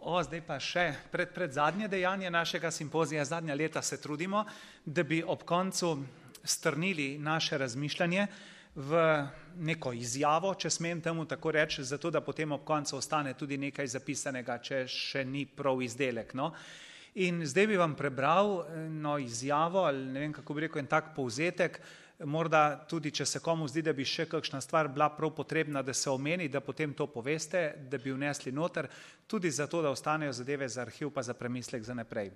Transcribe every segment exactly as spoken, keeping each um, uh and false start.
O, zdaj pa še pred, pred zadnje dejanje našega simpozija, zadnja leta se trudimo, da bi ob koncu strnili naše razmišljanje v neko izjavo, če smem temu tako reči, zato da potem ob koncu ostane tudi nekaj zapisanega, če še ni prav izdelek. No? In zdaj bi vam prebral no, izjavo, ali ne vem, kako bi rekel, en tak povzetek, morda tudi, če se komu zdi, da bi še kakšna stvar bila prav potrebna, da se omeni, da potem to poveste, da bi vnesli noter, tudi zato, da ostanejo zadeve za arhiv pa za premislek za naprej.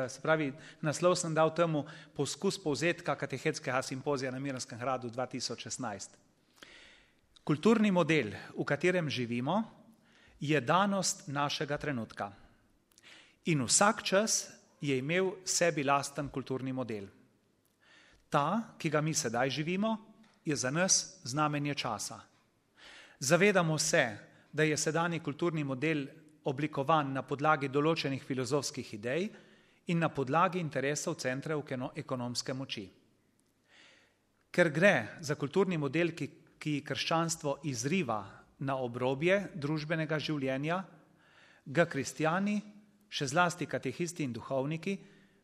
Se pravi, naslov sem dal temu poskus povzetka katehetskega simpozija na Miranskem gradu dva tisoč šestnajst. Kulturni model, v katerem živimo, je danost našega trenutka. In vsak čas je imel sebi lasten kulturni model. Ta, ki ga mi sedaj živimo, je za nas znamenje časa. Zavedamo se, da je sedanji kulturni model oblikovan na podlagi določenih filozofskih idej in na podlagi interesov centrov ekonomske moči. Ker gre za kulturni model, ki, ki krščanstvo izriva na obrobje družbenega življenja, ga kristjani, še zlasti katehisti in duhovniki,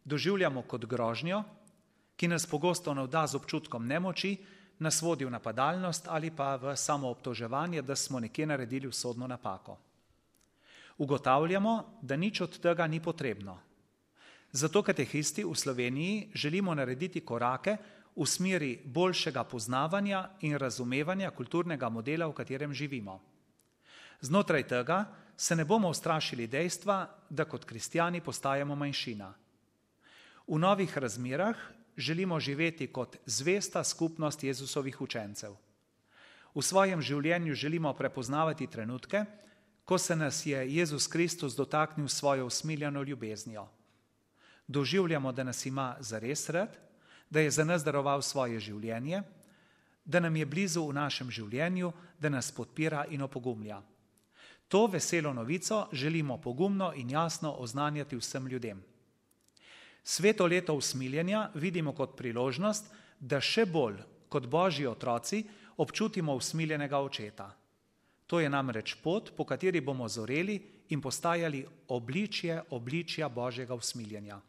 doživljamo kot grožnjo, ki nas pogosto navda z občutkom nemoči, nas vodi v napadalnost ali pa v samoobtoževanje, da smo nekje naredili usodno napako. Ugotavljamo, da nič od tega ni potrebno. Zato katehisti v Sloveniji želimo narediti korake v smeri boljšega poznavanja in razumevanja kulturnega modela, v katerem živimo. Znotraj tega se ne bomo ustrašili dejstva, da kot kristjani postajamo manjšina. V novih razmerah želimo živeti kot zvesta skupnost Jezusovih učencev. V svojem življenju želimo prepoznavati trenutke, ko se nas je Jezus Kristus dotaknil svojo usmiljeno ljubeznijo. Doživljamo, da nas ima zares rad, da je za nas daroval svoje življenje, da nam je blizu v našem življenju, da nas podpira in opogumlja. To veselo novico želimo pogumno in jasno oznanjati vsem ljudem. Sveto leto usmiljenja vidimo kot priložnost, da še bolj kot Božji otroci občutimo usmiljenega očeta. To je namreč pot, po kateri bomo zoreli in postajali obličje obličja Božjega usmiljenja.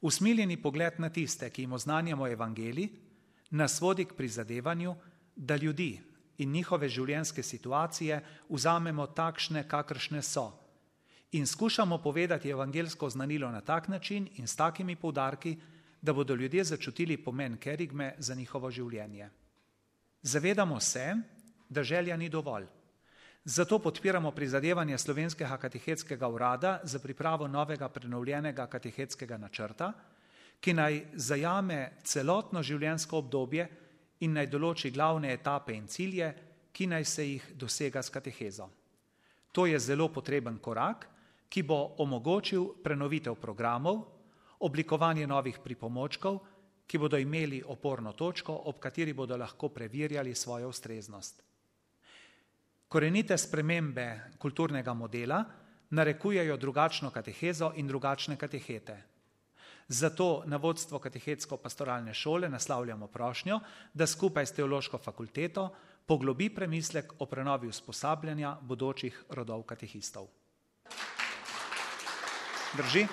Usmiljeni pogled na tiste, ki jim oznanjamo evangelij, nas vodi k prizadevanju, da ljudi in njihove življenjske situacije vzamemo takšne, kakršne so, in skušamo povedati evangeljsko znanilo na tak način in s takimi poudarki, da bodo ljudje začutili pomen kerigme za njihovo življenje. Zavedamo se, da želja ni dovolj. Zato podpiramo prizadevanje Slovenskega katehetskega urada za pripravo novega prenovljenega katehetskega načrta, ki naj zajame celotno življenjsko obdobje in naj določi glavne etape in cilje, ki naj se jih dosega s katehezo. To je zelo potreben korak, ki bo omogočil prenovitev programov, oblikovanje novih pripomočkov, ki bodo imeli oporno točko, ob kateri bodo lahko preverjali svojo ustreznost. Korenite spremembe kulturnega modela narekujejo drugačno katehezo in drugačne katehete. Zato na vodstvo katehetsko-pastoralne šole naslavljamo prošnjo, da skupaj s teološko fakulteto poglobi premislek o prenovi usposabljanja bodočih rodov katehistov. Drži?